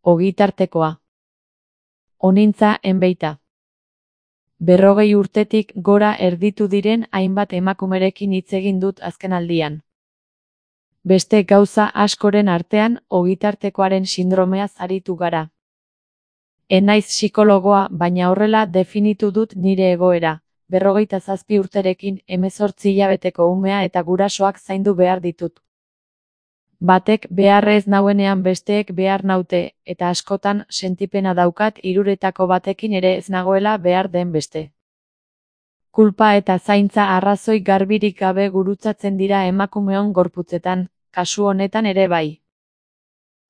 ogitartekoa. Honintza enbeita. 40 urtetik gora erditu diren hainbat emakumerekin hitz egin dut azkenaldian. Beste gauza askoren artean ogitartekoaren sindromeaz aritu gara. Enaiz psikologoa, baina horrela definitu dut nire egoera. 47 urterekin 18 hilabeteko umea eta gurasoak zaindu behar ditut. Batek behar ez nauenean besteek behar naute, eta askotan sentipena daukat hiruretako batekin ere ez nagoela behar den beste. Kulpa eta zaintza arrazoi garbirik gabe gurutzatzen dira emakumeon gorputzetan, kasu honetan ere bai.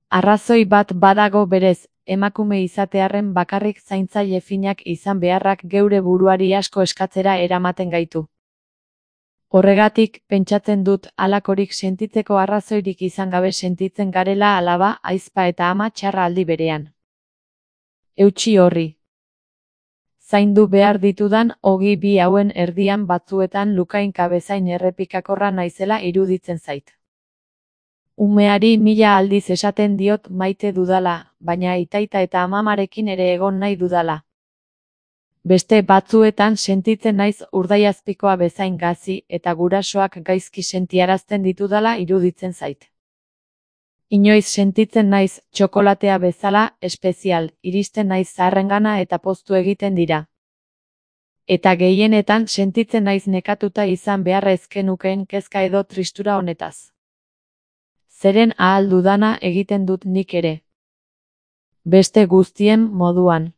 Arrazoi bat badago berez, emakume izatearren bakarrik zaintzaile finak izan beharrak geure buruari asko eskatzera eramaten gaitu. Horregatik, pentsatzen dut halakorik sentitzeko arrazoirik izan gabe sentitzen garela alaba, ahizpa eta ama txarra aldi berean. Eutsi horri. Zaindu behar ditudan ogi bi hauen erdian batzuetan lukainka bezain errepikakorra naizela iruditzen zait. Umeari 1000 aldiz esaten diot maite dudala, baina aitaita eta amamarekin ere egon nahi dudala. Beste batzuetan sentitzen naiz urdaiazpikoa bezain gazi eta gurasoak gaizki sentiarazten ditudala iruditzen zait. Inoiz sentitzen naiz txokolatea bezala espezial, iristen naiz zaharrengana eta poztu egiten dira. Eta gehienetan sentitzen naiz nekatuta izan beharra ezkenukeen kezka edo tristura honetaz. Zeren ahal dudana egiten dut nik ere. Beste guztien moduan.